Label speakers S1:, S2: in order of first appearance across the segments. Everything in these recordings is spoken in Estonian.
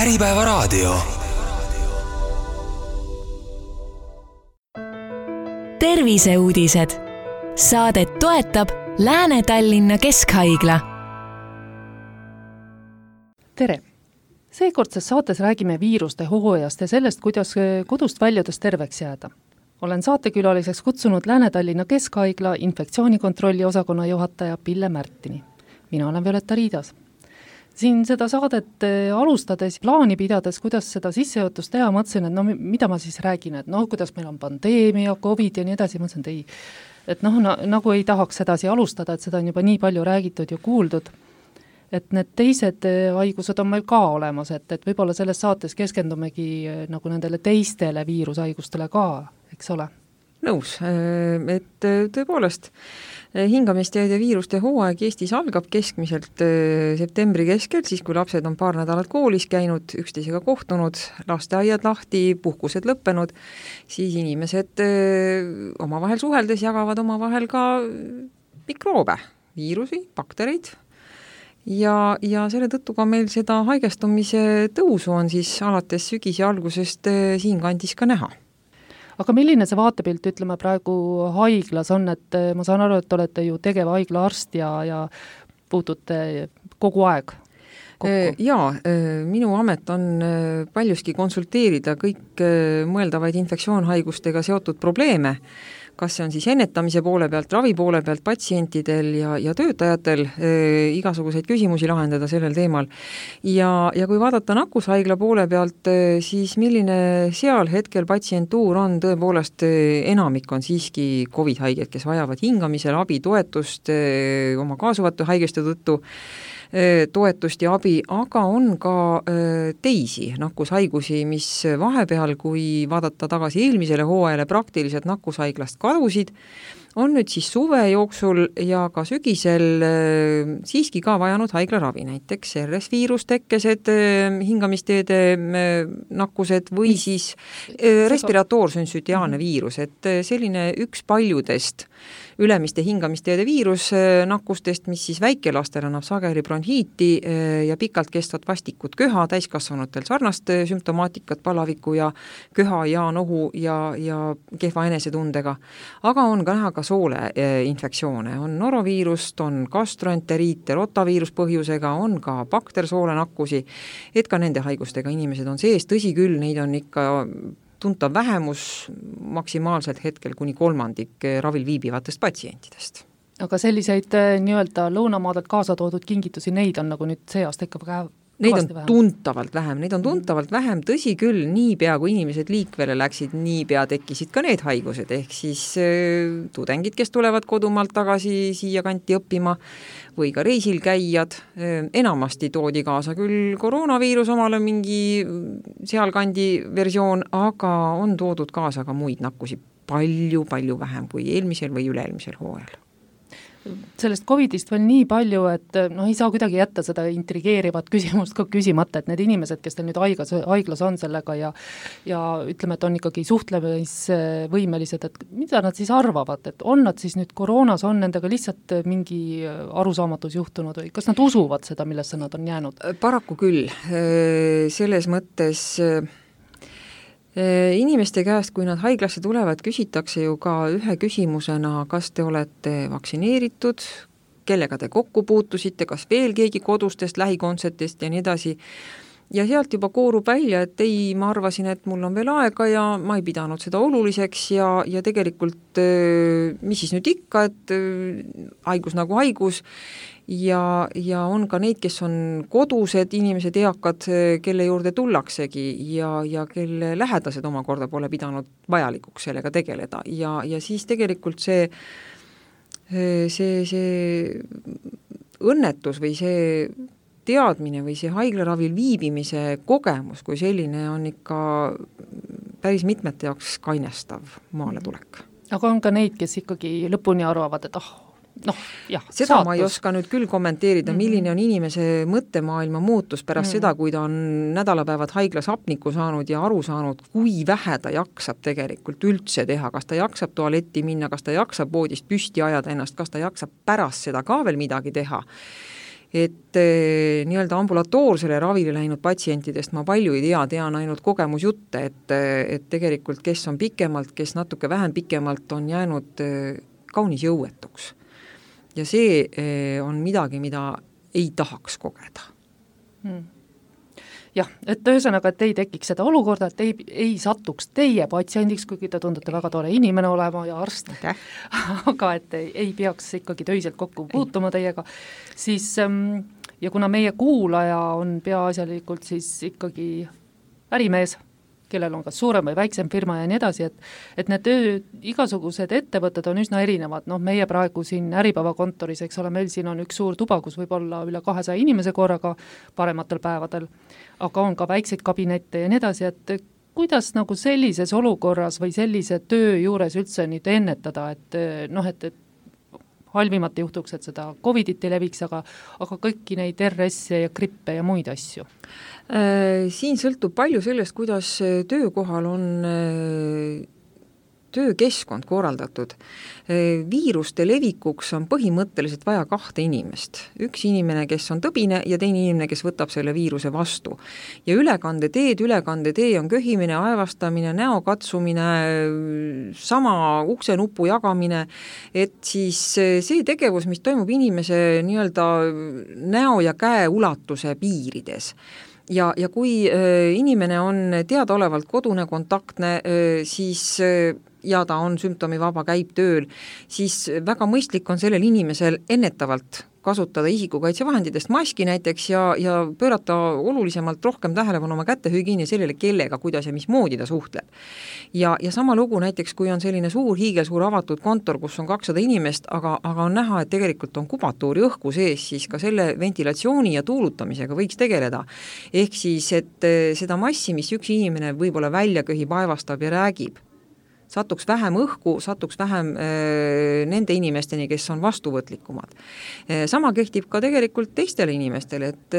S1: Äripäevaraadio. Terviseuudised. Saadet toetab Lääne-Tallinna Keskhaigla.
S2: Tere! Seekordses saates räägime viiruste hooajast ja sellest, kuidas kodust väljudes terveks jääda. Olen saatekülaliseks kutsunud Lääne-Tallinna Keskhaigla infektsioonikontrolli osakonna juhataja Pille Märtini. Mina olen Violeta Riidas. Siin seda saadet alustades, plaani pidades, kuidas seda sissejuhatust teha, mõtlesin, et mida ma siis räägin, et kuidas meil on pandeemia, COVID ja nii edasi, mõtlesin, et ei. Et nagu ei tahaks sedasi alustada, et seda on juba nii palju räägitud ja kuuldud, et need teised haigused on meil ka olemas, et võib-olla selles saates keskendumegi nagu nendele teistele viirushaigustele ka, eks ole?
S3: Nõus, et tõepoolest hingamisteede viiruste hooaeg Eestis algab keskmiselt septembri keskel, siis kui lapsed on paar nädalat koolis käinud, üksteisega kohtunud, lasteaiad lahti, puhkused lõppenud, siis inimesed omavahel suheldes jagavad omavahel ka mikroobe, viirusi, baktereid ja selle tõttu ka meil seda haigestumise tõusu on siis alates sügise algusest siinkandis ka näha.
S2: Aga milline see vaatepilt, ütleme, praegu haiglas on, et ma saan aru, et olete ju tegeva haigla arst ja puutute kogu aeg kokku?
S3: Jaa, minu amet on paljuski konsulteerida kõik mõeldavaid infektsioonhaigustega seotud probleeme, kas see on siis ennetamise poole pealt, ravi poole pealt, patsientidel ja töötajatel igasuguseid küsimusi lahendada sellel teemal. Ja kui vaadata nakkushaigla poole pealt, siis milline seal hetkel patsientuur on, tõepoolest enamik on siiski COVID-haiged, kes vajavad hingamisel abi, toetust oma kaasuvate haigeste tõttu, toetust ja abi, aga on ka teisi nakkushaigusi, mis vahepeal, kui vaadata tagasi eelmisele hooajale, praktiliselt nakkushaiglast kadusid, on nüüd siis suve jooksul ja ka sügisel siiski ka vajanud haiglaravi, näiteks RS-viirustekkesed hingamisteede nakkused või siis respiratoor-sünsütiaalne viirus, et selline üks paljudest ülemiste hingamisteede viirus nakkustest, mis siis väikelastel annab sageli bronhiiti ja pikalt kestvat vastikut köha, täiskasvanutel sarnast sümptomaatikat, palaviku ja köha ja nohu ja kehva enesetundega. Aga on ka näha ka soole infektsioone, on noroviirust, on gastroenteriit, rotaviirus põhjusega, on ka baktersoole nakkusi, et ka nende haigustega inimesed on sees, tõsi küll, neid on ikka tuntav vähemus maksimaalselt hetkel kuni 3% ravil viibivatest patsientidest.
S2: Aga selliseid nii-öelda lõunamaadelt kaasa toodud kingitusi, neid on nagu nüüd see aasta ikka väga
S3: Neid on tuntavalt vähem, tõsi küll, niipea kui inimesed liikvele läksid, niipea tekkisid ka need haigused, ehk siis tudengid, kes tulevad kodumaalt tagasi siia kanti õppima või ka reisil käijad, enamasti toodi kaasa küll koroonaviirus omale mingi sealkandi versioon, aga on toodud kaasa ka muid nakkusi palju vähem kui eelmisel või üle-eelmisel hooajal.
S2: Sellest COVIDist veel nii palju, et ei saa kuidagi jätta seda intrigeerivat küsimust ka küsimata, et need inimesed, kes teil nüüd haiglas on sellega ja ütleme, et on ikkagi suhtlemisvõimelised, et mida nad siis arvavad, et on nad siis nüüd koroonas, on nendega lihtsalt mingi arusaamatus juhtunud või kas nad usuvad seda, millesse nad on jäänud?
S3: Paraku küll, selles mõttes inimeste käest, kui nad haiglasse tulevad, küsitakse ju ka ühe küsimusena, kas te olete vaktsineeritud, kellega te kokku puutusite, kas veel keegi kodustest, lähikondsetest ja nii edasi. Ja sealt juba koorub välja, et ei, ma arvasin, et mul on veel aega ja ma ei pidanud seda oluliseks ja tegelikult, mis siis nüüd ikka, et haigus nagu haigus ja on ka neid, kes on kodused inimesed, eakad, kelle juurde tullaksegi ja kelle lähedased omakorda pole pidanud vajalikuks sellega tegeleda ja siis tegelikult see õnnetus või see teadmine või see haiglaravil viibimise kogemus kui selline on ikka päris mitmete jaoks kainestav maaletulek.
S2: Aga on ka neid, kes ikkagi lõpuni arvavad, et
S3: seda saatus. Ma ei oska nüüd küll kommenteerida, milline on inimese mõttemaailma muutus pärast seda, kui ta on nädalapäevad haiglas hapnikku saanud ja aru saanud, kui vähe ta jaksab tegelikult üldse teha, kas ta jaksab tualetti minna, kas ta jaksab voodist püsti ajada ennast, kas ta jaksab pärast seda ka veel midagi teha. et nii-öelda ambulatoorsele ravile läinud patsientidest ma palju ei tean ainult kogemusjutte, et tegelikult kes on pikemalt, kes natuke vähem pikemalt on jäänud kaunis jõuetuks. Ja see on midagi, mida ei tahaks kogeda.
S2: Jah, et ühesõnaga, et ei tekiks seda olukorda, et ei satuks teie patsiendiks, kuigi te tundute väga tore inimene olema ja arst, aga et ei peaks ikkagi töiselt kokku puutuma teiega, siis ja kuna meie kuulaja on peaasjalikult siis ikkagi ärimees, kellel on kas suurem või väiksem firma ja nii edasi, et need igasugused ettevõtted on üsna erinevad, meie praegu siin Äripäeva kontoris, eks ole, meil siin on üks suur tuba, kus võib olla üle 200 inimese korraga parematel päevadel, aga on ka väikseid kabinette ja nii edasi, et kuidas nagu sellises olukorras või sellise töö juures üldse nüüd ennetada, et halvimalt juhtuks, et seda Covidit ei leviks, aga kõiki neid RS-e ja grippe ja muid asju?
S3: Siin sõltub palju sellest, kuidas töökohal on töökeskkond korraldatud. Viiruste levikuks on põhimõtteliselt vaja 2 inimest. Üks inimene, kes on tõbine ja teine inimene, kes võtab selle viiruse vastu. Ja ülekandetee on köhimine, aevastamine, näo katsumine, sama uksenupu jagamine, et siis see tegevus, mis toimub inimese nii-öelda näo ja käe ulatuse piirides. Ja kui inimene on teadaolevalt kodune, kontaktne, siis ja ta on sümptomivaba, käib tööl, siis väga mõistlik on sellel inimesel ennetavalt kasutada isikukaitsevahenditest maski näiteks ja pöörata olulisemalt rohkem tähelepanu oma kätehügieeni sellele, kellega, kuidas ja mismoodi ta suhtleb. Ja sama lugu näiteks, kui on selline hiigelsuur avatud kontor, kus on 200 inimest, aga on näha, et tegelikult on kubatuuri õhku sees, siis ka selle ventilatsiooni ja tuulutamisega võiks tegeleda. Ehk siis, et seda massi, mis üks inimene võib-olla välja köhib, aevastab ja räägib, satuks vähem õhku, satuks vähem nende inimesteni, kes on vastuvõtlikumad. Sama kehtib ka tegelikult teistele inimestele, et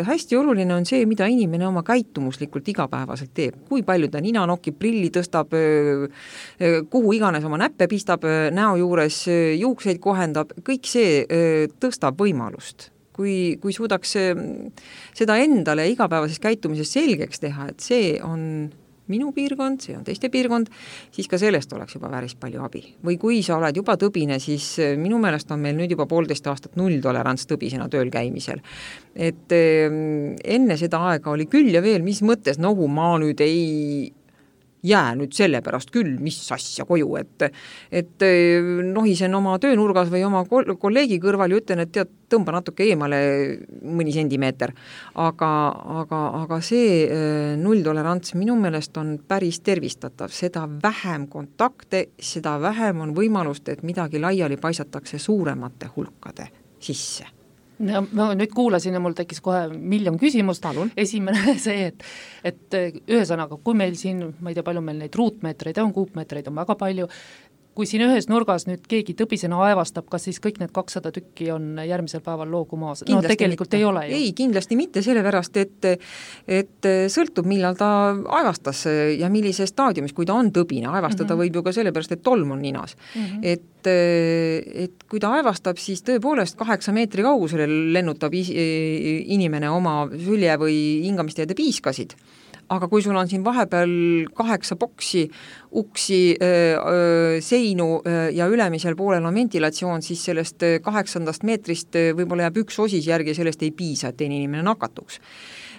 S3: hästi oluline on see, mida inimene oma käitumuslikult igapäevaselt teeb. Kui palju ta nina nokib, prilli tõstab, kuhu iganes oma näppe pistab, näo juures juukseid kohendab, kõik see tõstab võimalust. Kui suudaks seda endale igapäevases käitumises selgeks teha, et see on minu piirkond, see on teiste piirkond, siis ka sellest oleks juba päris palju abi. Või kui sa oled juba tõbine, siis minu meelest on meil nüüd juba 1,5 aastat nulltolerants tõbisena tööl käimisel. Et enne seda aega oli küll ja veel, mis mõttes, ma nüüd ei jää nüüd selle pärast küll, mis asja koju, et nohisen oma töönurgas või oma kolleegi kõrval ja ütlen, et tead, tõmba natuke eemale mõni sentimeeter. Aga see nulltolerants minu meelest on päris tervistatav. Seda vähem kontakte, seda vähem on võimalust, et midagi laiali paisatakse suuremate hulkade sisse.
S2: Ja ma nüüd kuulasin ja mul tekkis kohe miljon küsimust. Esimene see, et ühesõnaga, kui meil siin, ma ei tea, palju meil neid ruutmeetreid on, kuupmeetreid on väga palju, kui siin ühes nurgas nüüd keegi tõbisena aevastab, kas siis kõik need 200 tükki on järgmisel päeval loogu maas?
S3: Kindlasti
S2: tegelikult
S3: mitte.
S2: Ei ole ju.
S3: Ei, kindlasti mitte, sellepärast, et sõltub, millal ta aevastas ja millise staadiumis, kui ta on tõbine. Aevastada võib ju ka sellepärast, et tolm on ninas. Et kui ta aevastab, siis tõepoolest 8 meetri kaugusele lennutab inimene oma sülje või hingamisteede piiskasid. Aga kui sul on siin vahepeal 8 boksi, uksi, seinu ja ülemisel poolel on ventilatsioon, siis sellest 8 meetrist võib-olla jääb üks osis järgi ja sellest ei piisa, et teine inimene nakatuks.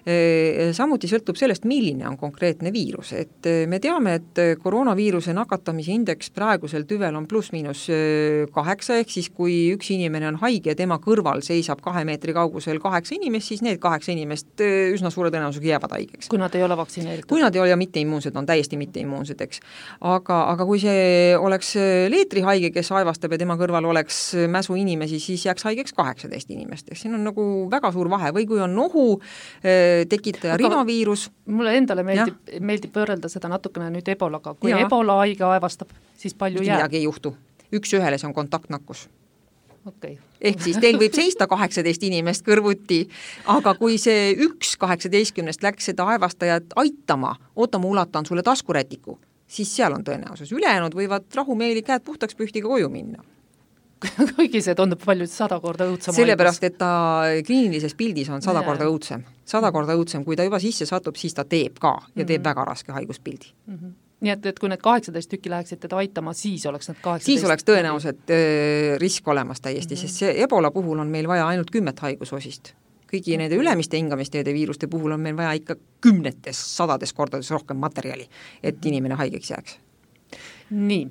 S3: Samuti sõltub sellest, milline on konkreetne viirus. Et me teame, et koroonaviiruse nakatamise indeks praegusel tüvel on +-8, ehk siis kui üks inimene on haige ja tema kõrval seisab 2 meetri kaugusel 8 inimest, siis need 8 inimest üsna suure tõenäosusega jäävad haigeks.
S2: Kui nad ei ole vaktsineeritud.
S3: Kui nad ei ole ja mitteimmuunsed, on täiesti mitteimmuunsed, eks. Aga kui see oleks leetrihaige, kes aevastab ja tema kõrval oleks mäsu inimesi, siis jääks haigeks 18 inimest. Siin on nagu väga suur vahe. Või kui on nohu tekitaja rinaviirus.
S2: Mulle endale meeldib võrrelda seda natukene nüüd ebolaga. Kui ebola haige aevastab, siis palju jääb?
S3: Midagi ei juhtu. Üks ühele see on kontaktnakkus.
S2: Okay.
S3: Ehk siis teil võib seista 18 inimest kõrvuti, aga kui see üks 18 läks seda aevastajat aitama, ma ulatan sulle taskurätiku, siis seal on tõenäosus. Ülejäänud võivad rahumeeli käed puhtaks pühtiga koju minna.
S2: kuigi see tundub palju 100 korda õudsem
S3: sellepärast, et ta kliinilises pildis on 100 korda õudsem. 100 korda õudsem, kui ta juba sisse satub, siis ta teeb ka ja teeb väga raske haiguspildi.
S2: Nii et kui need 18 tükki läheksid teda aitama, siis oleks need 18
S3: siis oleks tõenäoliselt risk olemas täiesti, sest see Ebola puhul on meil vaja ainult 10 haigusosist. Kõigi nende ülemiste hingamisteede viiruste puhul on meil vaja ikka 10, 100 kordades rohkem materjali, et inimene haigeks jääks.
S2: Nii,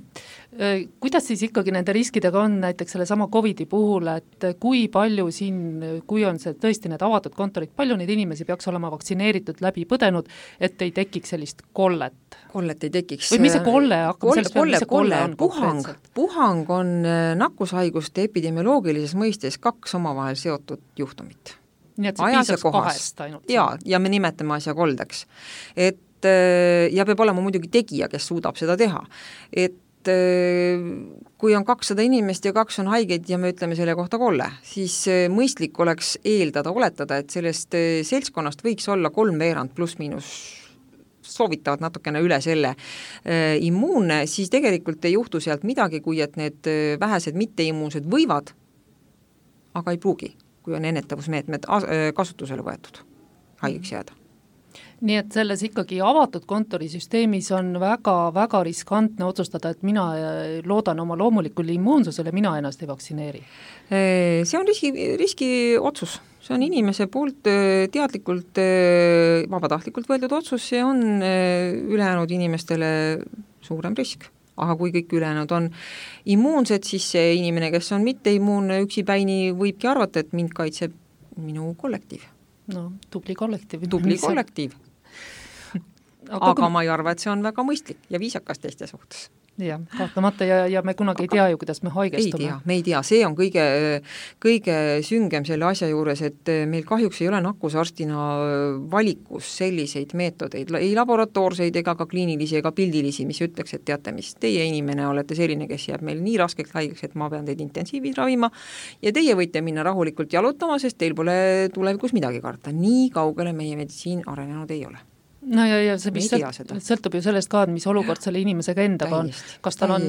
S2: kuidas siis ikkagi nende riskidega on näiteks selle sama COVID-i puhul, et kui palju siin, kui on see tõesti need avatud kontorid, palju neid inimesi peaks olema vaktsineeritud läbi põdenud, et ei tekiks sellist kollet?
S3: Kollet ei tekiks.
S2: Või mis see kolle hakkab?
S3: Puhang on nakkushaiguste epidemioloogilises mõistes 2 omavahel seotud juhtumit.
S2: Nii et see piisaks 2 ainult?
S3: Ja me nimetame asja koldeks. Et ja peab olema muidugi tegija, kes suudab seda teha. Et kui on 200 inimest ja 2 on haigeid ja me ütleme selle kohta kolle, siis mõistlik oleks oletada, et sellest seltskonnast võiks olla 3/4 pluss-miinus soovitavad natukene üle selle immuunne, siis tegelikult ei juhtu sealt midagi, kui et need vähesed mitteimmuunsed võivad, aga ei pruugi, kui on ennetavusmeetmed kasutusele võetud haigeks jääda.
S2: Nii et selles ikkagi avatud kontorisüsteemis on väga riskantne otsustada, et mina loodan oma loomulikule immuunsusele, mina ennast ei vaktsineeri.
S3: See on riski otsus, see on inimese poolt teadlikult, vabatahtlikult võetud otsus, see on ülejäänud inimestele suurem risk. Aga kui kõik ülejäänud on immuunsed, siis see inimene, kes on mitte immuunne üksipäini, võibki arvata, et mind kaitseb minu kollektiiv.
S2: No, tubli kollektiiv.
S3: Tubli kollektiiv. Aga ma ei arva, et see on väga mõistlik ja viisakas teiste suhtes.
S2: Jah, kahtlemata ja me kunagi ei tea ju, kuidas me haigestume.
S3: Me ei tea, see on kõige süngem selle asja juures, et meil kahjuks ei ole nakkusarstina valikus selliseid meetodeid, ei laboratoorseid ega ka kliinilisi ega pildilisi, mis ütleks, et teate, mis teie inimene olete selline, kes jääb meil nii raskeks haigeks, et ma pean teid intensiivis ravima ja teie võite minna rahulikult jalutama, sest teil pole tulevikus midagi karta. Nii kaugele meie meditsiin arenenud ei ole.
S2: No ja see sõltub ju sellest ka, mis olukord selle inimesega endaga on. Kas tal on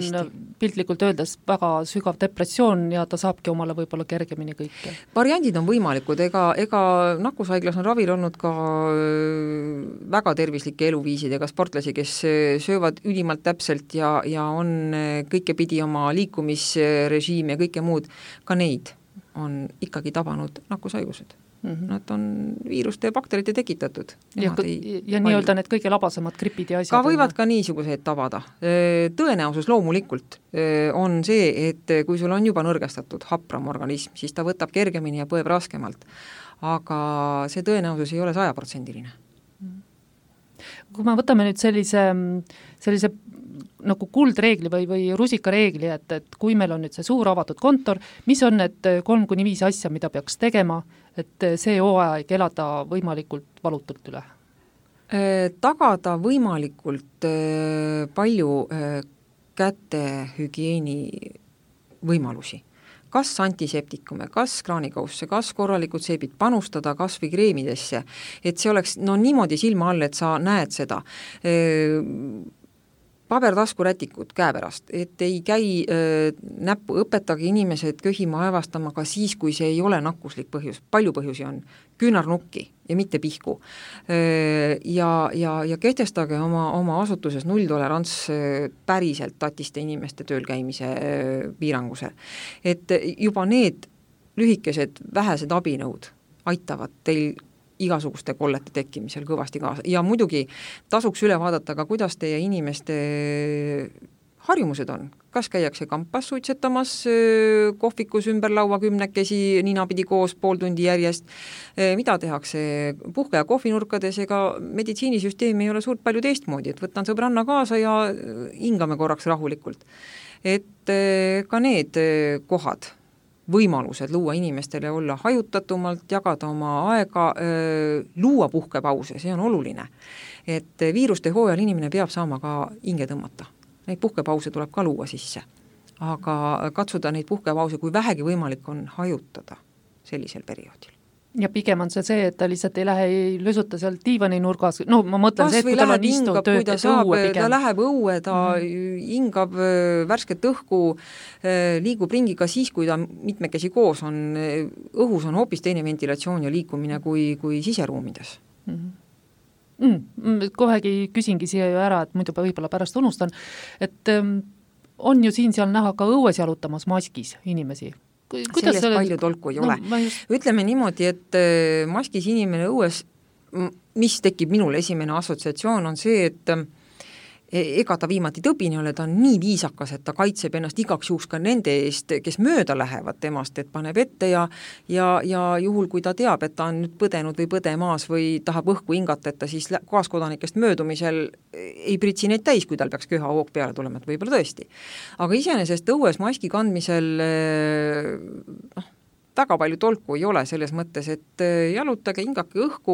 S2: piltlikult öeldes väga sügav depressioon ja ta saabki omale võib-olla kergemini kõike?
S3: Variandid on võimalikud, ega nakkushaiglas on ravil olnud ka väga tervislike eluviisidega sportlasi, kes söövad ülimalt täpselt ja on kõike pidi oma liikumisrežiim ja kõike muud, ka neid on ikkagi tabanud nakkushaigused. Nad on viiruste ja bakterite tekitatud.
S2: Ja nii-öelda need kõige labasemad gripid ja asjad.
S3: Ka võivad ka niisuguseid tabada. Tõenäosus loomulikult on see, et kui sul on juba nõrgestatud hapram organism, siis ta võtab kergemini ja põeb raskemalt. Aga see tõenäosus ei ole 100%.
S2: Kui me võtame nüüd sellise nagu kuldreegli või rusikareegli, et kui meil on nüüd see suur avatud kontor, mis on need 3-5 asja, mida peaks tegema, et see hooaeg elada võimalikult valutult üle?
S3: Tagada võimalikult palju kätehügieeni võimalusi. Kas antiseptikume, kas kraanikausse, kas korralikud seebid panustada kas või kreemidesse, et see oleks niimoodi silma all, et sa näed seda. Pabertaskurätikud käepärast, et ei käi näppu, õpetage inimesed köhima aevastama ka siis, kui see ei ole nakkuslik põhjus. Palju põhjusi on, küünarnukki ja mitte pihku. Ja kehtestage oma asutuses nulltolerants päriselt tatiste inimeste tööl käimise piiranguse. Et juba need lühikesed vähesed abinõud aitavad teil igasuguste kollete tekkimisel kõvasti kaasa. Ja muidugi tasuks üle vaadata ka, kuidas teie inimeste harjumused on. Kas käiakse kampas suitsetamas kohvikus ümber laua 10 ninapidi koos pool tundi järjest, mida tehakse puhke- ja kohvinurkades, ega meditsiinisüsteem ei ole suurt palju teistmoodi, et võtan sõbranna kaasa ja hingame korraks rahulikult. Et ka need kohad, võimalused luua inimestele olla hajutatumalt, jagada oma aega, luua puhkepause, see on oluline. Et viiruste hooajal inimene peab saama ka hinge tõmmata. Neid puhkepause tuleb ka luua sisse. Aga katsuda neid puhkepause, kui vähegi võimalik on, hajutada sellisel perioodil.
S2: Ja pigem on see, et ta lihtsalt ei lähe, ei lösuta seal diivani nurgas, no ma mõtlen see, et kui tal on istuv tööd, õue pigem.
S3: Ta läheb õue, ta hingab värsket õhku, liigub ringi ka siis, kui ta mitmekesi koos on, õhus on hoopis teine ventilatsioon ja liikumine kui siseruumides.
S2: Kohegi küsingi siia ju ära, et muidu võib-olla pärast unustan, et on ju siin-seal näha ka õues jalutamas maskis inimesi.
S3: Sellest palju tolku ei ole. Ütleme niimoodi, et maskis inimene õues, mis tekib minul esimene assotsiatsioon, on see, et ega ta viimati tõbini ole, ta on nii viisakas, et ta kaitseb ennast igaks juhuks ka nende eest, kes mööda lähevad temast, et paneb ette ja juhul, kui ta teab, et ta on nüüd põdenud või põdemaas või tahab õhku hingata, et ta siis kaaskodanikest möödumisel ei pritsi neid täis, kui tal peaks köha hoog peale tulema, et võib-olla tõesti. Aga iseenesest õues maski kandmisel väga palju tolku ei ole selles mõttes, et jalutage, hingake õhku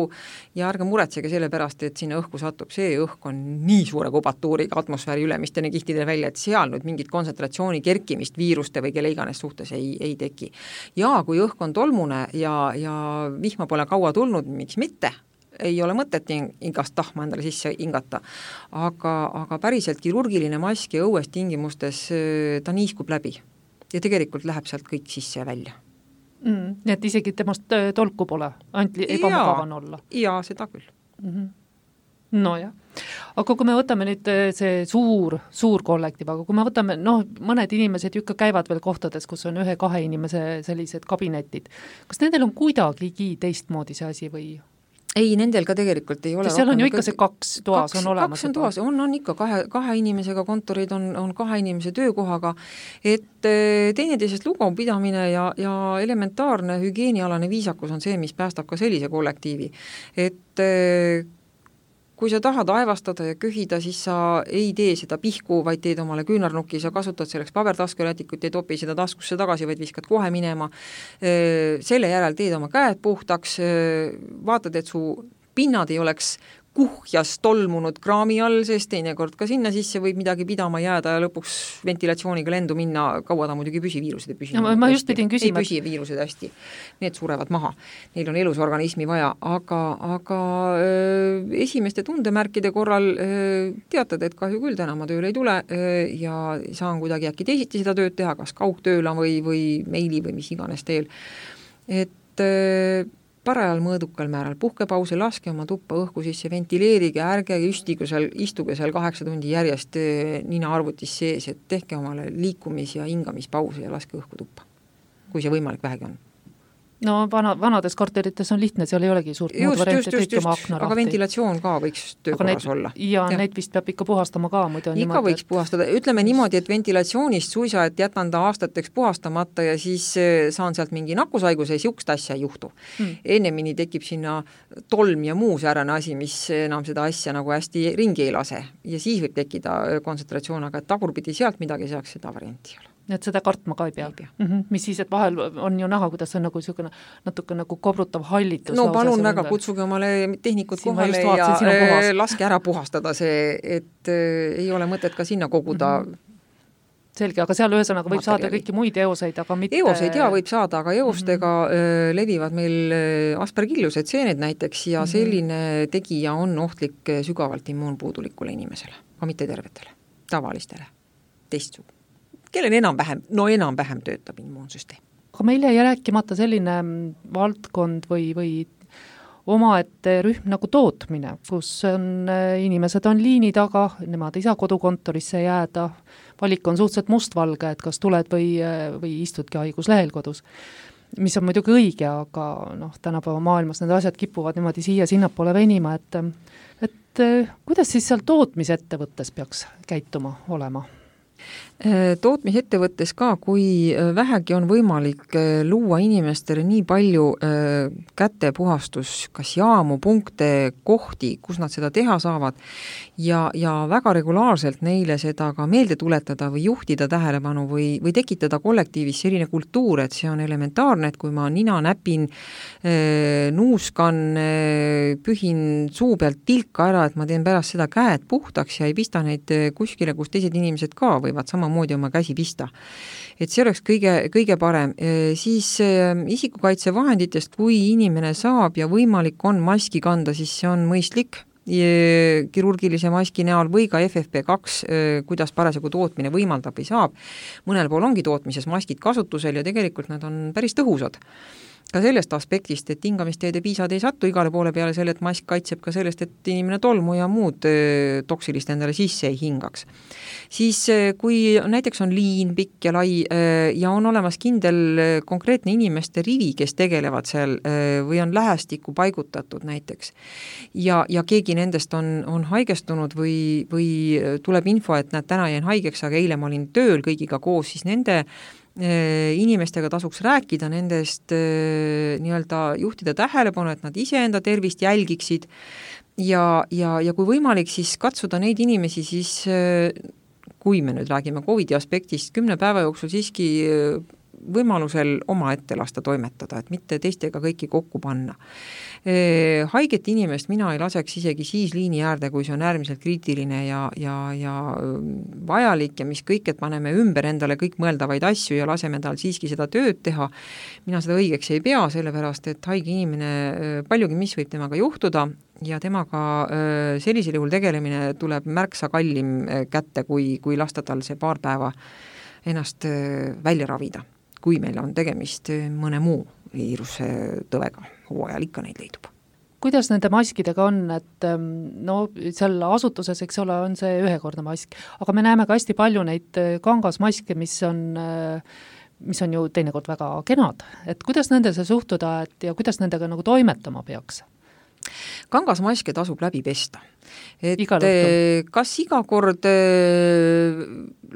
S3: ja ärge muretsege selle pärast, et sinna õhku satub. See õhk on nii suure kubatuuriga atmosfääri ülemistele kihtidele välja, et seal nüüd mingit kontsentratsiooni kerkimist viiruste või kelle iganes suhtes ei teki. Ja kui õhk on tolmune ja vihma pole kaua tulnud, miks mitte, ei ole mõtet igast tahma endale sisse hingata. Aga päriselt kirurgiline mask ja õues tingimustes ta niiskub läbi ja tegelikult läheb sealt kõik sisse ja välja.
S2: Nii et isegi temast tolku pole, ainult ebamugavan olla.
S3: Jaa, seda küll.
S2: No jah. Aga kui me võtame nüüd see suur kollektiiv, aga kui me võtame, mõned inimesed ju ikka käivad veel kohtades, kus on 1-2 inimese sellised kabinetid. Kas nendel on kuidagigi teistmoodi see asi või?
S3: Ei, nendel ka tegelikult ei ole.
S2: Seal on ju ikka see 2 toas on olemas.
S3: 2 on toas, on ikka 2 inimesega kontorid, on 2 inimese töökohaga, et teineteisest lugu pidamine ja elementaarne hügieenialane viisakus on see, mis päästab ka sellise kollektiivi. Et kui sa tahad aevastada ja köhida, siis sa ei tee seda pihku, vaid teed omale küünarnuki, sa kasutad selleks pabertaskurätikut, ei topi seda taskusse tagasi, vaid viskad kohe minema. Selle järel teed oma käed puhtaks, vaatad, et su pinnad ei oleks kuhjas tolmunud kraami all, sest teinekord ka sinna sisse võib midagi pidama jääda ja lõpuks ventilatsiooniga lendu minna, kaua ta muidugi püsiviirused ei püsi.
S2: Ma just pidin küsima.
S3: Ei püsi viirused hästi, need surevad maha. Neil on elus organismi vaja, aga esimeste tundemärkide korral teatad, et kahju küll täna ma tööle ei tule ja saan kuidagi äkki teisiti seda tööd teha, kas kaugtööla või meili või mis iganes teel. Et parajal mõõdukal määral puhkepause, laske oma tuppa õhku sisse, ventileerige, ärge istuge seal 8 tundi järjest nina arvutis sees, et tehke omale liikumis- ja hingamispause ja laske õhku tuppa, kui see võimalik vähegi on.
S2: No vanades korterites on lihtne, seal ei olegi suurt muud varianti, kõik oma akna lahti.
S3: Aga ventilatsioon ka võiks töökorras olla.
S2: Ja need vist peab ikka puhastama ka.
S3: Ikka võiks puhastada. Ütleme niimoodi, et ventilatsioonist suisa, et jätan ta aastateks puhastamata ja siis saan sealt mingi nakkusaiguse ja siukest asja ei juhtu. Ennemini tekib sinna tolm ja muu säärane asi, mis enam seda asja nagu hästi ringi ei lase. Ja siis võib tekkida kontsentratsioon, aga tagurpidi sealt midagi saaks, seda varianti ei ole.
S2: Et seda kartma ka ei pea. Mis siis, et vahel on ju näha, kuidas on nagu natuke nagu kobrutav hallitus.
S3: No palun väga, kutsuge omale tehnikud kohale ja laske ära puhastada see, et ei ole mõtet ka sinna koguda.
S2: Selge, aga seal ühesõnaga võib saada kõiki muid eoseid, aga mitte...
S3: Eoseid võib saada, aga eostega levivad meil aspergillused seened näiteks ja selline tegija on ohtlik sügavalt immuunpuudulikule inimesele, ka mitte tervetele, tavalistele, teistsugu. Kellen enam-vähem töötab immuunsüsteem.
S2: Aga meil jäi rääkimata selline valdkond või omaette rühm nagu tootmine, kus inimesed on liini taga, nemad ei saa kodukontorisse jääda, valik on suhteliselt mustvalge, et kas tuled või istudki haiguslehel kodus, mis on muidugi õige, aga tänapäeva maailmas need asjad kipuvad niimoodi siia-sinnapoole venima, et kuidas siis seal tootmisettevõttes peaks käituma olema?
S3: Tootmisettevõttes ka, kui vähegi on võimalik luua inimestele nii palju kätepuhastus, kas jaamu, punkte, kohti, kus nad seda teha saavad ja väga regulaarselt neile seda ka meelde tuletada või juhtida tähelepanu või tekitada kollektiivis selline kultuur, et see on elementaarne, et kui ma nina näpin, nuuskan, pühin suu pealt tilka ära, et ma teen pärast seda käed puhtaks ja ei pista neid kuskile, kus teised inimesed ka võivad sama samamoodi oma käsi pista. Et see oleks kõige parem. Siis isikukaitsevahenditest, kui inimene saab ja võimalik on maski kanda, siis see on mõistlik kirurgilise maski näol või ka FFP2, kuidas parasjagu tootmine võimaldab või saab. Mõnel pool ongi tootmises maskid kasutusel ja tegelikult nad on päris tõhusad. Ka sellest aspektist, et hingamisteede piisad ei sattu igale poole peale selle, et mask kaitseb ka sellest, et inimene tolmu ja muud toksilist endale sisse ei hingaks. Siis kui näiteks on liin pikk ja lai ja on olemas kindel konkreetne inimeste rivi, kes tegelevad seal või on lähestikku paigutatud näiteks ja keegi nendest on haigestunud või tuleb info, et näed, täna jäin haigeks, aga eile ma olin tööl kõigiga koos, siis nende inimestega tasuks rääkida, nendest nii-öelda juhtida tähelepanu, et nad iseenda tervist jälgiksid ja kui võimalik, siis katsuda neid inimesi siis, kui me nüüd räägime COVID-i aspektist, 10 päeva jooksul siiski võimalusel oma ette lasta toimetada, et mitte teistega kõiki kokku panna. Haiget inimest mina ei laseks isegi siis liini äärde, kui see on äärmiselt kriitiline ja vajalik ja mis kõik, et paneme ümber endale kõik mõeldavaid asju ja laseme tal siiski seda tööd teha. Mina seda õigeks ei pea, sellepärast, et haige inimene, paljugi mis võib temaga juhtuda ja temaga sellisel juhul tegelemine tuleb märksa kallim kätte, kui lasta tal see paar päeva ennast välja ravida, kui meil on tegemist mõne muu viiruse tõvega, hooajal ikka neid leidub.
S2: Kuidas nende maskidega on, et no seal asutuses, eks ole, on see ühekordne mask, aga me näeme ka hästi palju neid kangasmaske, mis on ju teinekord väga kenad, et kuidas nendesse suhtuda ja kuidas nendega nagu toimetama peaks?
S3: Kangasmaske tasub läbi pesta. Et kas iga kord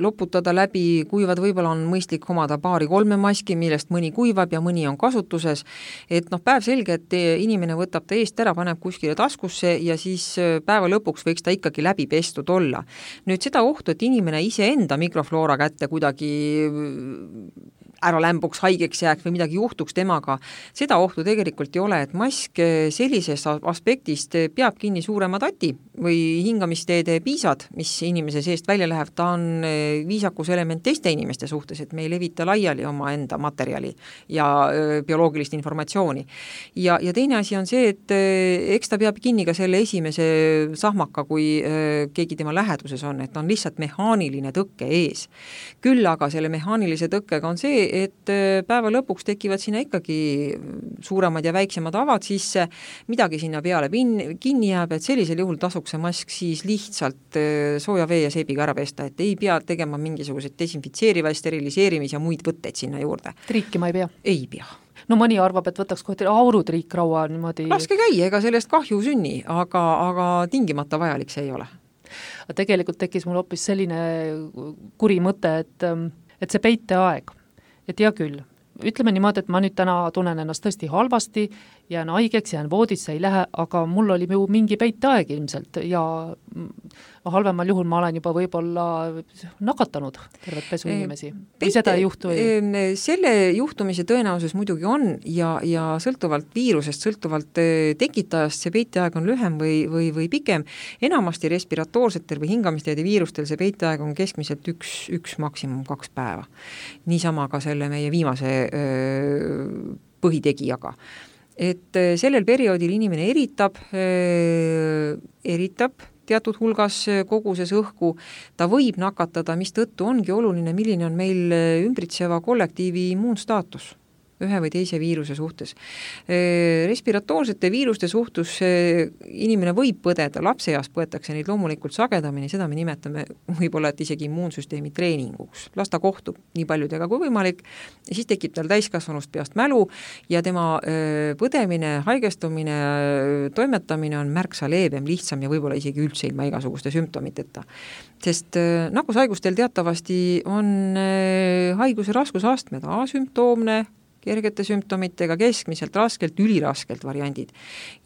S3: loputada läbi, kuivad võib-olla on mõistlik omada 2-3 maski, millest mõni kuivab ja mõni on kasutuses, et päev selge, et inimene võtab ta eest ära, paneb kuskile taskusse ja siis päeva lõpuks võiks ta ikkagi läbi pestud olla. Nüüd seda ohtu, et inimene iseenda mikrofloora kätte kuidagi ära lämbuks, haigeks jääks või midagi juhtuks temaga, seda ohtu tegelikult ei ole, et mask sellisest aspektist peab kinni suurema tati või hingamisteede piisad, mis inimese seest välja läheb, ta on viisakuselement teiste inimeste suhtes, et me ei levita laiali oma enda materjali ja bioloogilist informatsiooni. Ja teine asi on see, et eks ta peab kinni ka selle esimese sahmaka, kui keegi tema läheduses on, et on lihtsalt mehaaniline tõkke ees. Küll aga selle mehaanilise tõkkega on see, et päeva lõpuks tekivad sinna ikkagi suuremad ja väiksemad avad sisse, midagi sinna peale kinni jääb, et sellisel juhul tasuks see mask siis lihtsalt sooja vee ja seebiga ära pesta, et ei pea tegema mingisugused desinfitseeriva, steriliseerimis ja muid võtteid sinna juurde.
S2: Triikima ei pea?
S3: Ei pea.
S2: No mõni arvab, et võtaks kohti aurutriikraua niimoodi.
S3: Laske käia, ega sellest kahju sünni, aga tingimata vajalik see ei ole.
S2: Tegelikult tekkis mul hoopis selline kuri mõte, et see peiteaeg, et hea küll, ütleme niimoodi, et ma nüüd täna tunnen ennast tõesti halvasti, jään haigeks, jään voodisse, ei lähe, aga mul oli ju mingi peiteaeg ilmselt ja halvemal juhul ma olen juba võib-olla nakatanud tervet pesu inimesi. Või seda ei juhtu?
S3: Selle juhtumise tõenäosus muidugi on ja sõltuvalt viirusest, sõltuvalt tekitajast see peiteaeg on lühem või pikem. Enamasti respiratoorsetel või hingamisteede viirustel see peiteaeg on keskmiselt üks maksimum 2 päeva. Niisama ka selle meie viimase põhitegijaga. Et sellel perioodil inimene eritab teatud hulgas koguses õhku, ta võib nakatada, mis tõttu ongi oluline, milline on meil ümbritseva kollektiivi immuunstaatus ühe või teise viiruse suhtes. Respiratoorsete viiruste suhtes inimene võib põdeda, lapseeas põetakse neid loomulikult sagedamini, seda me nimetame võib-olla, et isegi immuunsüsteemi treeninguks. Las ta kohtub nii paljudega kui võimalik ja siis tekib tal täiskasvanust peast mälu ja tema põdemine, haigestumine, toimetamine on märksa leebem, lihtsam ja võib-olla isegi üldse ilma igasuguste sümptomiteta. Sest nakkushaigustel teatavasti on haiguse raskusastmed, asümptoomne, kergete sümptomitega, keskmiselt, raskelt, üliraskelt variandid.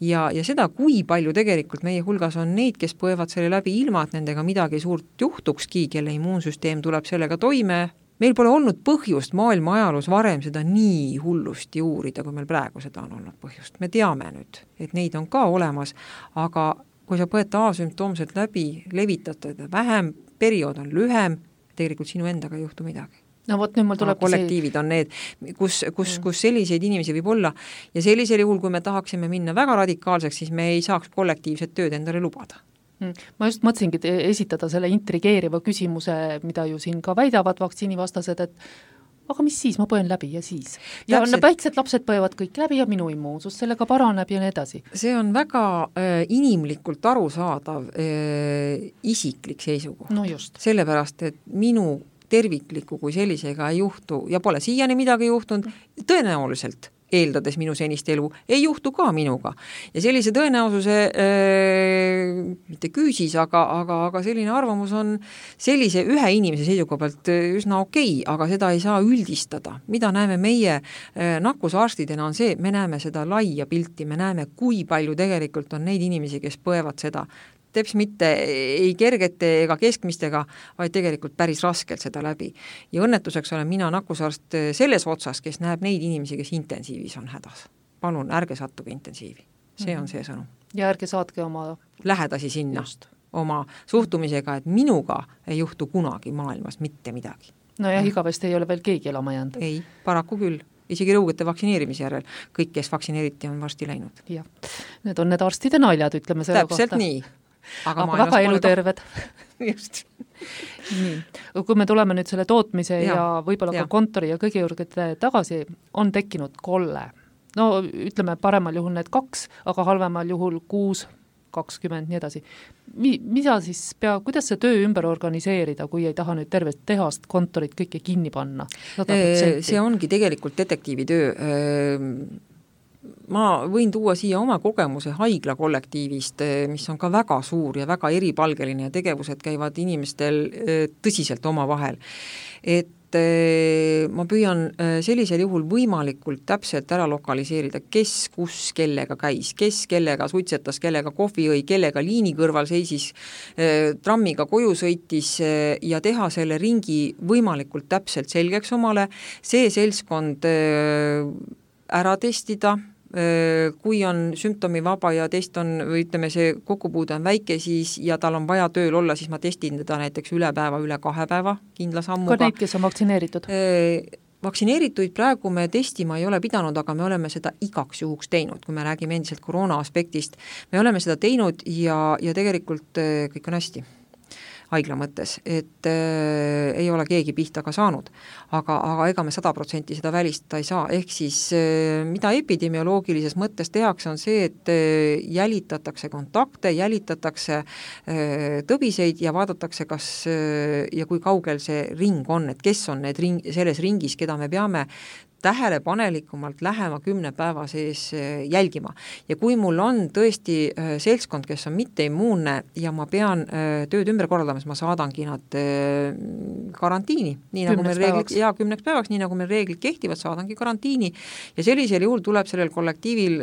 S3: Ja seda, kui palju tegelikult meie hulgas on neid, kes põevad selle läbi ilma, et nendega midagi suurt juhtukski, kelle immuunsüsteem tuleb sellega toime. Meil pole olnud põhjust maailma ajaloos varem seda nii hullusti uurida, kui meil praegu seda on olnud põhjust. Me teame nüüd, et neid on ka olemas, aga kui sa põed asümptoomselt läbi, levitad vähem, periood on lühem, tegelikult sinu endaga ei juhtu midagi.
S2: No vot, nüüd mul tuleb
S3: kollektiivid on need, kus selliseid inimesi võib olla ja sellisel juhul, kui me tahaksime minna väga radikaalseks, siis me ei saaks kollektiivset tööd endale lubada.
S2: Ma just mõtlesingi esitada selle intrigeeriva küsimuse, mida ju siin ka väidavad vaktsiinivastased, et aga mis siis, ma põen läbi ja siis. Ja väiksed lapsed põevad kõik läbi ja minu immuunsus sellega paraneb ja nii edasi.
S3: See on väga inimlikult arusaadav isiklik seisukoht.
S2: No just.
S3: Sellepärast, et minu tervikliku kui sellisega ei juhtu ja pole siiani midagi juhtunud, tõenäoliselt eeldades minu senist elu, ei juhtu ka minuga. Ja sellise tõenäosuse mitte küüsis, aga selline arvamus on sellise ühe inimese seisukoha pealt üsna okei, aga seda ei saa üldistada. Mida näeme meie nakkusarstidena on see, me näeme seda laia pilti, me näeme, kui palju tegelikult on neid inimesi, kes põevad seda teps mitte ei kergete ega keskmistega, vaid tegelikult päris raskelt seda läbi. Ja õnnetuseks olen mina nakkusarst selles otsas, kes näeb neid inimesi, kes intensiivis on hädas. Palun, ärge sattuge intensiivi. See on see sõnum.
S2: Ja ärge saatke oma
S3: lähedasi sinna oma suhtumisega, et minuga ei juhtu kunagi maailmas mitte midagi.
S2: No ja igavesti ei ole veel keegi elama jäänud.
S3: Ei, paraku küll. Isegi rõugete vaktsineerimise järel. Kõik, kes vaktsineeriti, on varsti läinud.
S2: Ja. Need on need arstide naljad, ütleme selle
S3: täpselt
S2: kohta.
S3: Nii.
S2: Aga väga eluterved.
S3: Just.
S2: Nii. Kui me tuleme nüüd selle tootmise ja võib-olla ka kontori ja kõige juurde tagasi, on tekkinud kolle. No ütleme paremal juhul need 2, aga halvemal juhul 6, 20, nii edasi. Mida siis kuidas see töö ümber organiseerida, kui ei taha nüüd tervet tehast, kontorit kõike kinni panna? 100%?
S3: See ongi tegelikult detektiivi töö. Ma võin tuua siia oma kogemuse haigla kollektiivist, mis on ka väga suur ja väga eripalgeline ja tegevused käivad inimestel tõsiselt oma vahel. Et ma püüan sellisel juhul võimalikult täpselt ära lokaliseerida, kes kus kellega käis, kes kellega suitsetas, kellega kohvi õi, kellega liini kõrval seisis, trammiga koju sõitis ja teha selle ringi võimalikult täpselt selgeks omale, see seltskond ära testida, kui on sümptomivaba ja test on, või ütleme, see kokkupuude on väike, siis ja tal on vaja tööl olla, siis ma testin teda näiteks üle päeva, üle 2 päeva kindla sammuga.
S2: Ka neid, kes on vaktsineeritud?
S3: Vaktsineerituid praegu me testima ei ole pidanud, aga me oleme seda igaks juhuks teinud, kui me räägime endiselt koroona aspektist. Me oleme seda teinud ja tegelikult kõik on hästi haigla mõttes, et ei ole keegi pihta ka saanud, aga ega me 100% seda välistada ei saa, ehk siis mida epidemioloogilises mõttes tehakse on see, et jälitatakse kontakte, jälitatakse tõbiseid ja vaadatakse, kas ja kui kaugel see ring on, et kes on need selles ringis, keda me peame tähelepanelikumalt lähema 10 päeva sees jälgima. Ja kui mul on tõesti seltskond, kes on mitteimmuunne ja ma pean tööd ümber korraldama, siis ma saadangi nad karantiini. Nii nagu meil reeglid, 10 päevaks, nii nagu meil reeglid kehtivad, saadangi karantiini. Ja sellisel juhul tuleb sellel kollektiivil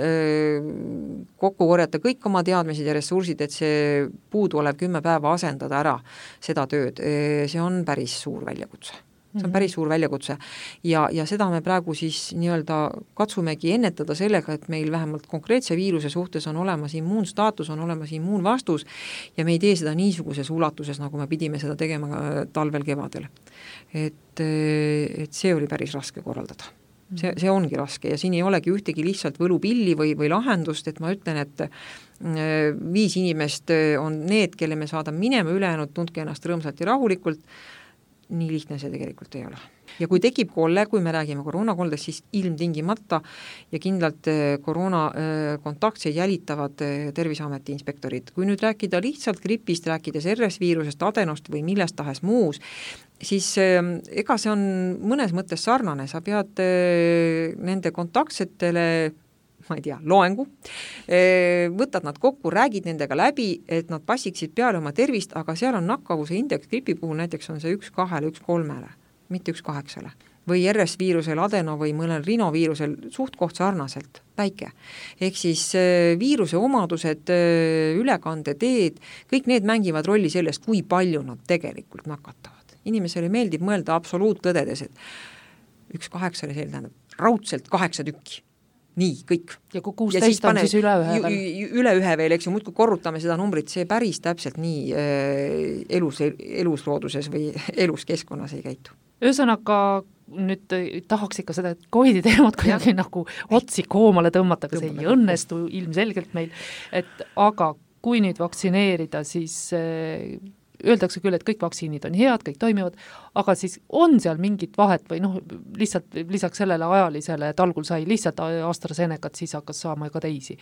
S3: kokku korjata kõik oma teadmised ja ressursid, et see puudu olev 10 päeva asendada ära seda tööd. See on päris suur väljakutse. See on päris suur väljakutse ja seda me praegu siis nii-öelda katsumegi ennetada sellega, et meil vähemalt konkreetse viiruse suhtes on olemas immuunstaatus, on olemas immuunvastus ja me ei tee seda niisuguses ulatuses, nagu me pidime seda tegema talvel kevadel. Et see oli päris raske korraldada. See ongi raske ja siin ei olegi ühtegi lihtsalt võlupilli või lahendust, et ma ütlen, et 5 inimest on need, kelle me saadame minema, ülejäänud tundke ennast rõõmsalt ja rahulikult. Nii lihtne see tegelikult ei ole. Ja kui tekib kolle, kui me räägime koroonakoldest, siis ilmtingimata ja kindlalt koroona kontaktseid jälitavad Terviseameti inspektorid. Kui nüüd rääkida lihtsalt gripist, rääkides RS-viirusest, adenost või millest tahes muus, siis ega see on mõnes mõttes sarnane. Sa pead nende kontaktsetele ma ei tea, loengu, võtad nad kokku, räägid nendega läbi, et nad passiksid peale oma tervist, aga seal on nakkavuse indeks gripi puhul näiteks on see 1-2, 1-3, mitte 1-8. Või RS-viirusel, adeno või mõnel rinoviirusel suht koht sarnaselt, väike. Ehk siis viiruse omadused, ülekandeteed, kõik need mängivad rolli sellest, kui palju nad tegelikult nakatavad. Inimesele meeldib mõelda absoluuttõdedes, et 1-8 see tähendab raudselt 8 tükki. nii, kõik.
S2: Ja kui 16 on, siis üle ühe veel.
S3: Üle ühe veel, eks ju, muudkui korrutame seda numbrit, see päris täpselt nii eluslooduses või elus keskkonnas ei käitu.
S2: Ühesõnaga, nüüd tahaks ikka seda COVID-i teemat kuidagi nagu otsi koomale tõmmata, aga see ei õnnestu ilmselgelt meil, aga kui nüüd vaktsineerida, siis öeldakse küll, et kõik vaktsiinid on head, kõik toimivad, aga siis on seal mingit vahet või lihtsalt lisaks sellele ajalisele, et algul sai lihtsalt AstraZenecat, siis hakkas saama ka teisi.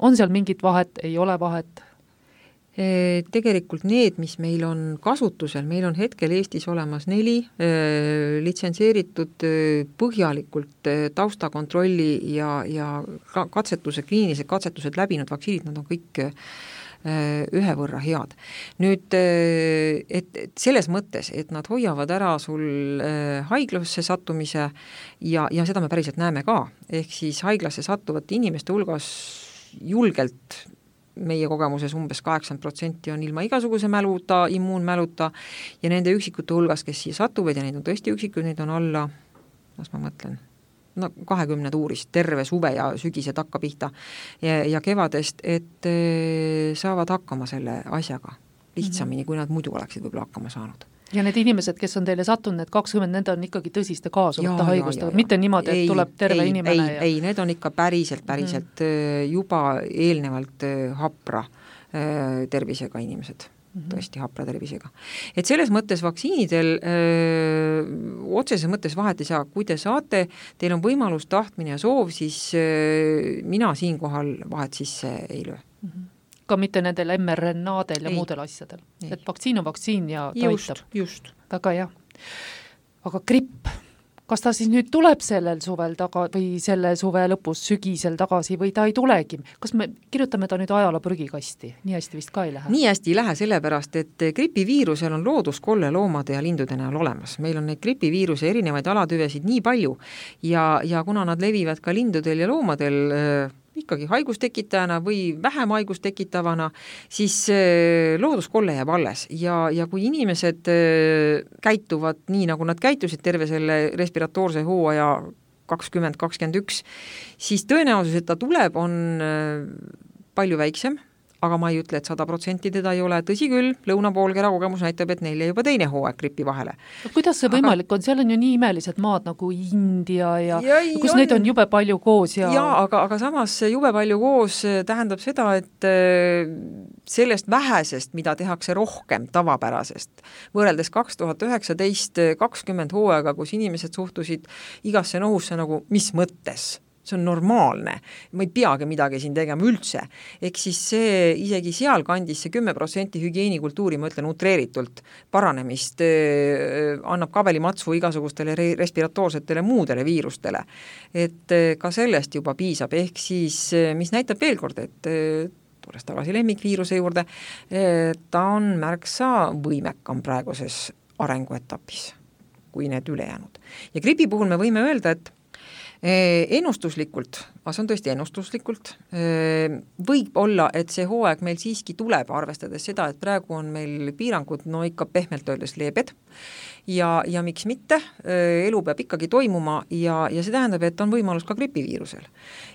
S2: On seal mingit vahet, ei ole vahet?
S3: Tegelikult need, mis meil on kasutusel, meil on hetkel Eestis olemas 4 litsentseeritud põhjalikult taustakontrolli ja katsetuse, kliinilised katsetused läbinud vaktsiinid, nad on kõik ühe võrra head. Nüüd, et selles mõttes, et nad hoiavad ära sul haiglasse sattumise ja seda me päriselt näeme ka, ehk siis haiglasse sattuvate inimeste hulgas julgelt meie kogemuses umbes 80% on ilma igasuguse mäluta, immuunmäluta ja nende üksikute hulgas, kes siia satuvad ja neid on tõesti üksikud, neid on alla, kas ma mõtlen, 20 tuurist, terve suve ja sügised hakka pihta ja kevadest, et saavad hakkama selle asjaga lihtsamini, kui nad muidu oleksid võib-olla hakkama saanud.
S2: Ja need inimesed, kes on teile sattunud, need 20, need on ikkagi tõsiste kaasuvate haigustega, mitte niimoodi, et tuleb terve inimene.
S3: Ei, need on ikka päriselt juba eelnevalt hapra tervisega inimesed. Tõesti hapra tervisega. Et selles mõttes vaktsiinidel otseses mõttes vahet ei saa, kui te saate, teil on võimalus, tahtmine ja soov, siis mina siinkohal vahet sisse ei löö.
S2: Ka mitte nendel mRNA-del ja muudel asjadel. Et vaktsiin on vaktsiin ja toitab.
S3: Just.
S2: Väga hea. Aga gripp, kas ta siis nüüd tuleb sellel suvel või selle suve lõpus sügisel tagasi või ta ei tulegi? Kas me kirjutame ta nüüd ajaloo prügikasti? Nii hästi vist ka ei lähe?
S3: Nii hästi ei lähe sellepärast, et gripiviirusel on looduskolle loomade ja lindude näol olemas. Meil on neid gripiviiruse erinevaid alatüvesid nii palju ja kuna nad levivad ka lindudel ja loomadel ikkagi haigustekitajana või vähem haigustekitavana, siis looduskolle jääb alles ja kui inimesed käituvad nii, nagu nad käitusid terve selle respiratoorse hooaja 2021, siis tõenäosus, et ta tuleb, on palju väiksem, aga ma ei ütle, et 100% teda ei ole, tõsi küll, lõunapoolkera kogemus näitab, et neil jäi juba teine hooaeg gripi vahele.
S2: Kuidas see võimalik on? Seal on ju nii imelised maad nagu India ja kus neid on jube palju koos.
S3: Aga samas jube palju koos tähendab seda, et sellest vähesest, mida tehakse rohkem tavapärasest, võrreldes 2019-2020 hooaega, kus inimesed suhtusid igasse nohusse nagu mis mõttes, see on normaalne, ma ei peagi midagi siin tegema üldse, ehk siis see isegi seal kandis see 10% hügieenikultuuri, ma ütlen utreeritult, paranemist annab kabelimatsu igasugustele respiratoorsetele muudele viirustele. Et ka sellest juba piisab, ehk siis mis näitab veel kord, et tulles tagasi lemmikviiruse juurde, ta on märksa võimekam praeguses arenguetapis kui need ülejäänud. Ja gripi puhul me võime öelda, et ennustuslikult, see on tõesti ennustuslikult, võib olla, et see hooaeg meil siiski tuleb, arvestades seda, et praegu on meil piirangud ikka pehmelt öeldes leebed ja miks mitte, elu peab ikkagi toimuma ja see tähendab, et on võimalus ka gripiviirusel.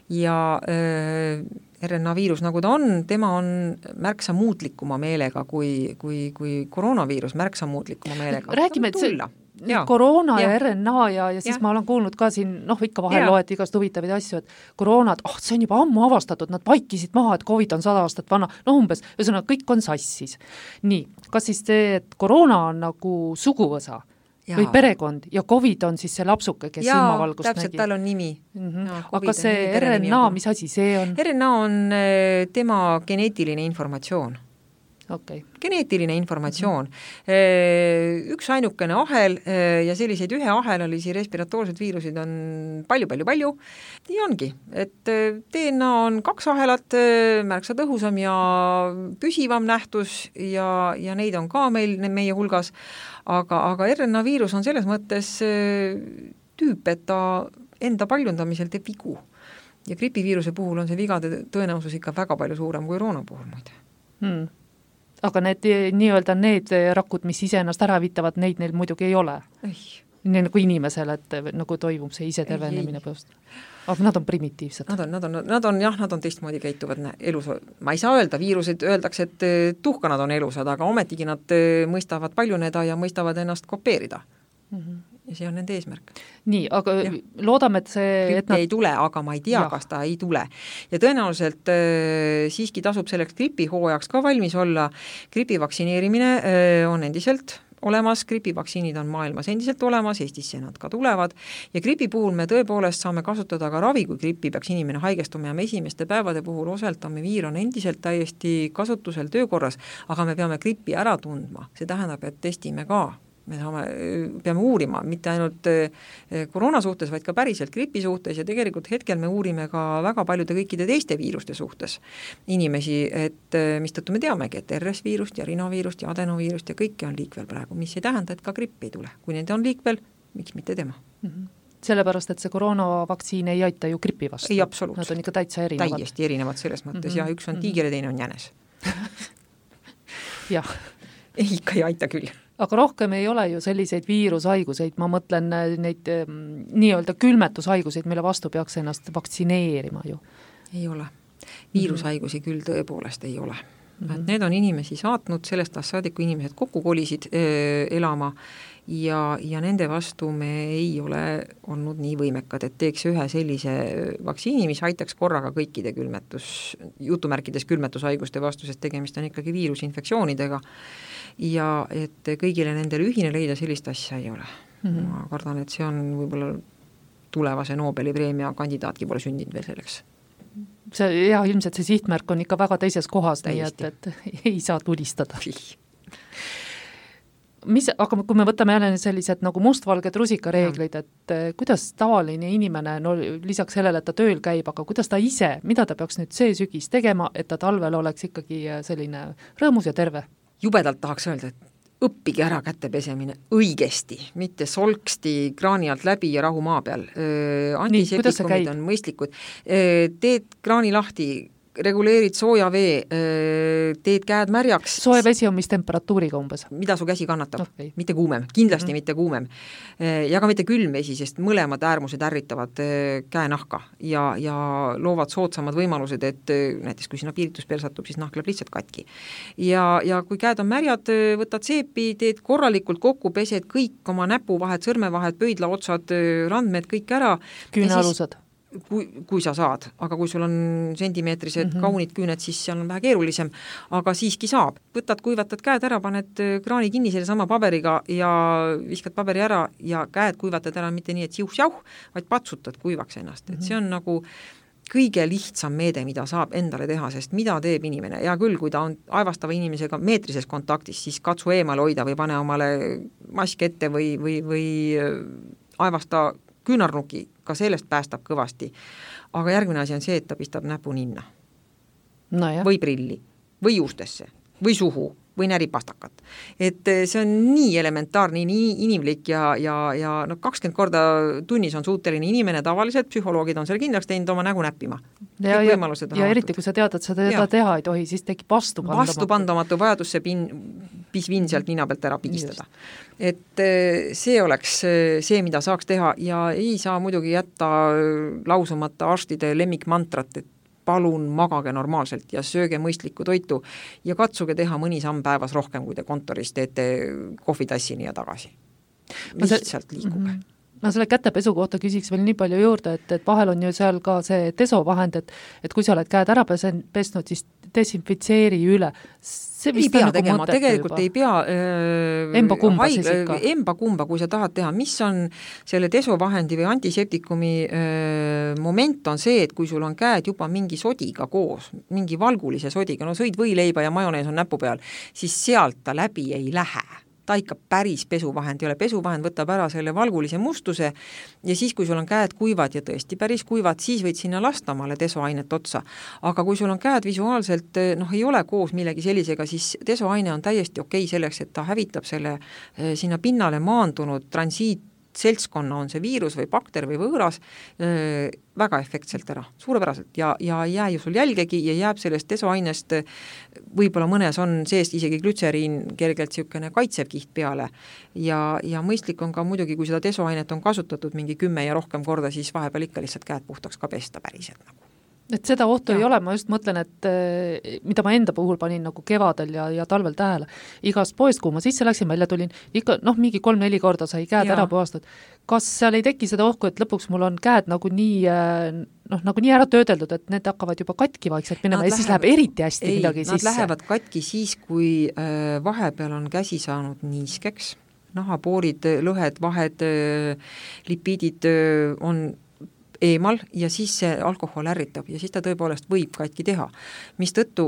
S3: Ja RNA viirus, nagu ta on, tema on märksa muutlikuma meelega kui koroonaviirus, märksa muutlikuma meelega.
S2: Räägime, et koroona ja RNA ja siis ma olen kuulnud ka siin, ikka vahel loed igast huvitavaid asju, et koroonad, see on juba ammu avastatud, nad vaikisid maha, et COVID on 100 aastat vana, umbes, ühesõnaga kõik on sassis. Nii, kas siis see, et koroona on nagu suguvõsa või perekond ja COVID on siis see lapsuke, kes silmavalgust
S3: täpselt,
S2: nägi?
S3: tal on nimi.
S2: Aga see RNA, mis asi see on?
S3: RNA on tema geneetiline informatsioon.
S2: Okay.
S3: Geneetiline informatsioon. Üks ainukene ahel ja selliseid ühe ahelalisi respiratoorsed viirusid on palju. Nii ongi, et DNA on 2 ahelat, märksa tõhusam ja püsivam nähtus ja neid on ka meie hulgas, aga RNA viirus on selles mõttes tüüp, et ta enda paljundamisel teeb vigu. Ja gripiviiruse puhul on see vigade tõenäosus ikka väga palju suurem kui koroona puhul muide.
S2: Aga need rakud, mis iseennast ära vitavad, neid neil muidugi ei ole. nii nagu inimesel, et nagu toimub see ise tervenemine põhjust. Aga nad on primitiivsed.
S3: Nad on teistmoodi käituvad elus. Ma ei saa öelda, viirused öeldakse, et tuhkanad on elusad, aga ometigi nad mõistavad paljuneda ja mõistavad ennast kopeerida. Ja see on nende eesmärk.
S2: Nii, aga loodame, et see...
S3: Grippi ei tule, aga ma ei tea, kas ta ei tule. Ja tõenäoliselt siiski tasub selleks gripihooajaks ka valmis olla. Gripi vaktsineerimine on endiselt olemas, gripivaktsiinid on maailmas endiselt olemas, Eestisse nad ka tulevad ja gripi puhul me tõepoolest saame kasutada ka ravi, kui gripi peaks inimene haigestuma ja me esimeste päevade puhul oseltamivir on endiselt täiesti kasutusel töökorras, aga me peame gripi ära tundma, see tähendab, et testime ka. Me peame uurima, mitte ainult koroona suhtes, vaid ka päriselt gripi suhtes ja tegelikult hetkel me uurime ka väga paljude kõikide teiste viiruste suhtes inimesi, et mistõttu me teamegi, et RS-viirust ja rinoviirust ja adenoviirust ja kõike on liikvel praegu, mis ei tähenda, et ka gripp ei tule. Kui nende on liikvel, miks mitte tema?
S2: Sellepärast, et see koroonavaktsiin ei aita ju gripi vastu.
S3: Ei, absoluutselt.
S2: Nad on ikka täitsa erinevad.
S3: Täiesti erinevad selles mõttes ja üks on tiiger ja teine on jänes.
S2: Jah.
S3: Ikka ei aita küll.
S2: Aga rohkem ei ole ju selliseid viirushaiguseid, ma mõtlen neid nii-öelda külmetushaiguseid, mille vastu peaks ennast vaktsineerima ju.
S3: Ei ole. Viirushaigusi küll tõepoolest ei ole. Et need on inimesi saatnud, sellest saadik, kui inimesed kokku kolisid elama ja nende vastu me ei ole olnud nii võimekad, et teeks ühe sellise vaktsiini, mis aitaks korraga kõikide jutumärkides külmetushaiguste vastu, sest tegemist on ikkagi viirusinfektsioonidega ja et kõigile nendele ühine leida sellist asja ei ole. Ma kardan, et see on võib-olla tulevase Nobeli preemia kandidaatki pole sündinud veel selleks.
S2: Ilmselt see sihtmärk on ikka väga teises kohas, nii et ei saa tulistada. Aga kui me võtame jälle sellised nagu mustvalged rusikareeglid, et kuidas tavaline inimene, no lisaks sellele, et ta tööl käib, aga kuidas ta ise, mida ta peaks nüüd see sügis tegema, et ta talvel oleks ikkagi selline rõõmus ja terve?
S3: Jubedalt tahaks öelda, et õppige ära käte pesemine õigesti, mitte solksti kraani alt läbi ja rahu maa peal. Antiseptikumid on mõistlikud. Teed kraani lahti, reguleerid sooja vee, teed käed märjaks.
S2: Soe vesi on mis temperatuuriga umbes?
S3: Mida su käsi kannatab, mitte kuumem, kindlasti mitte kuumem. Ja ka mitte külm vesi, sest mõlemad äärmused ärritavad käenahka ja loovad soodsamad võimalused, et näiteks kui sinna piirituspeel satub, siis nahk läheb lihtsalt katki. Ja kui käed on märjad, võtad seepi, teed korralikult kokku, pesed kõik oma näpuvahed, sõrmevahed, pöidlaotsad, randmed, kõik ära.
S2: Küünealused?
S3: Kui sa saad, aga kui sul on sentimeetrised kaunid küüned, siis seal on vähe keerulisem, aga siiski saab. Võtad, kuivatad käed ära, paned kraani kinni selle sama paberiga ja viskad paberi ära ja käed kuivatad ära mitte nii, et siuh-sjauh, vaid patsutad kuivaks ennast. Et see on nagu kõige lihtsam meede, mida saab endale teha, sest mida teeb inimene. Ja küll, kui ta on aevastava inimesega meetrises kontaktis, siis katsu eemal hoida või pane omale mask ette või aevasta küünarnuki, ka sellest päästab kõvasti. Aga järgmine asi on see, et ta pistab näpu ninna. Või prilli, või juustesse, või suhu, või näripastakat. Et see on nii elementaarne, nii inimlik ja 20 korda tunnis on suuteline inimene, tavaliselt psühholoogid on selle kindlaks teinud oma nägu näppima.
S2: Ja eriti, kui sa tead, et sa teda teha ei tohi, siis tekib
S3: vastupandamatu vajadus see pisvin sealt nina pealt ära pigistada. Et see oleks see, mida saaks teha ja ei saa muidugi jätta lausumata arstide lemmikmantrat, et palun magage normaalselt ja sööge mõistlikku toitu ja katsuge teha mõni samm päevas rohkem, kui te kontoris teete kohvitassini ja tagasi. Lihtsalt liikuge.
S2: Ma selle kätepesu kohta küsiks veel nii palju juurde, et vahel on ju seal ka see desovahend, et kui sa oled käed ära pesnud, siis desinfitseeri üle. See
S3: ei pea tegema, tegelikult juba. Ei pea
S2: emba kumba,
S3: kui sa tahad teha. Mis on selle desovahendi või antiseptikumi moment on see, et kui sul on käed juba mingi sodiga koos, mingi valgulise sodiga, no sõid võileiba ja majonees on näpu peal, siis sealt ta läbi ei lähe. Ta ikka päris pesuvahend ei ole. Pesuvahend võtab ära selle valgulise mustuse ja siis, kui sul on käed kuivad ja tõesti päris kuivad, siis võid sinna lastamale desoainet otsa. Aga kui sul on käed visuaalselt, ei ole koos millegi sellisega, siis desoaine on täiesti okei selleks, et ta hävitab selle sinna pinnale maandunud seltskonna, on see viirus või bakter või võõras, väga efektselt ära, suurepäraselt ja ei jää ju sul jälgegi ja jääb sellest desoainest, võib-olla mõnes on seest isegi glütseriin kergelt niisugune kaitsev kiht peale ja mõistlik on ka muidugi, kui seda desoainet on kasutatud mingi 10 ja rohkem korda, siis vahepeal ikka lihtsalt käed puhtaks ka pesta päriselt nagu.
S2: Et seda ohtu ei ole, ma just mõtlen, et mida ma enda puhul panin nagu kevadel ja talvel tähele. Igast poest, kuhu ma sisse läksin, välja tulin, ikka mingi 3-4 korda sai käed ära puhastud. Kas seal ei teki seda ohku, et lõpuks mul on käed nagu nii ära töödeldud, et need hakkavad juba katki vaikselt minema ja siis läheb eriti hästi midagi sisse?
S3: Nad lähevad katki siis, kui vahepeal on käsi saanud niiskeks, nahapoorid, lõhed, vahed, lipiidid on eemal ja siis see alkohol ärritab ja siis ta tõepoolest võib katki teha. Mistõttu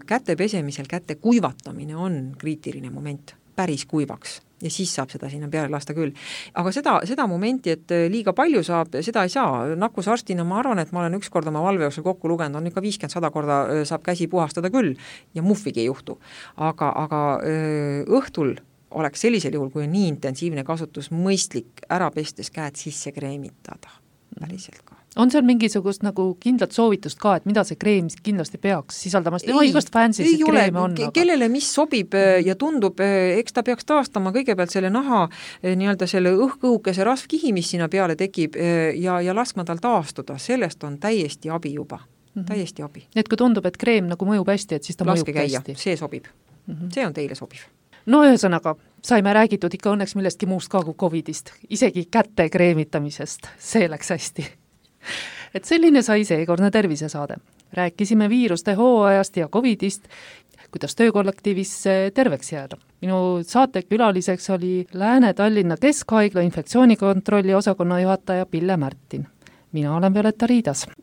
S3: käte pesemisel käte kuivatamine on kriitiline moment, päris kuivaks ja siis saab seda sinna peale lasta küll. Aga seda momenti, et liiga palju saab, seda ei saa. Nakkusarstina ma arvan, et ma olen ükskord oma valvejooksul kokku lugenud, on ikka 50-100 korda saab käsi puhastada küll ja muffigi ei juhtu. Aga õhtul oleks sellisel juhul, kui on nii intensiivne kasutus, mõistlik ära pestes käed sisse kreemitada. Päriselt ka.
S2: On seal mingisugust nagu kindlat soovitust ka, et mida see kreem kindlasti peaks sisaldama? Igast fancysid kreeme on.
S3: Kellele mis sobib ja tundub, eks ta peaks taastama kõigepealt selle naha nii-öelda selle õhkõhukese rasvkihi, mis sinna peale tekib ja laskma tal taastuda. Sellest on täiesti abi juba. Täiesti abi.
S2: Et kui tundub, et kreem nagu mõjub hästi, et siis ta
S3: laske
S2: mõjub
S3: käia.
S2: hästi.
S3: See sobib. See on teile sobiv.
S2: No ühesõnaga, saime räägitud ikka õnneks millestki muust ka kui COVIDist, isegi käte kreemitamisest, see läks hästi. Et selline sai seekordne tervisesaade. Rääkisime viiruste hooajast ja COVIDist, kuidas töökollektiivis terveks jääda. Minu saatekülaliseks oli Lääne-Tallinna Keskhaigla infektsioonikontrolli osakonna juhataja Pille Märtin. Mina olen Violeta Riidas.